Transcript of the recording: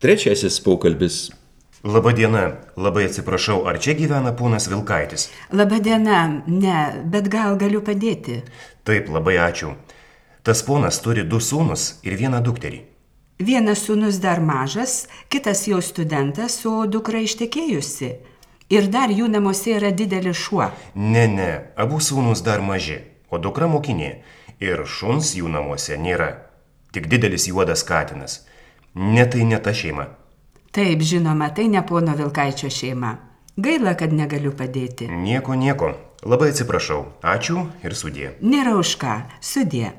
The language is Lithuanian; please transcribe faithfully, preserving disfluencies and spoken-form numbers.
Trečiasis pokalbis. Labadiena, labai atsiprašau, ar čia gyvena ponas Vilkaitis? Labadiena, ne, bet gal galiu padėti. Taip, labai ačiū. Tas ponas turi du sūnus ir vieną dukterį. Vienas sūnus dar mažas, kitas jau studentas, o dukra ištekėjusi. Ir dar jų namuose yra didelis šuo. Ne, ne, abu sūnus dar maži, o dukra mokinė. Ir šuns jų namuose nėra. Tik didelis juodas katinas. Ne, tai ne ta šeima. Taip, žinoma, tai ne pono Vilkaičio šeima. Gaila, kad negaliu padėti. Nieko, nieko. Labai atsiprašau. Ačiū ir sudie. Nėra už ką. Sudie.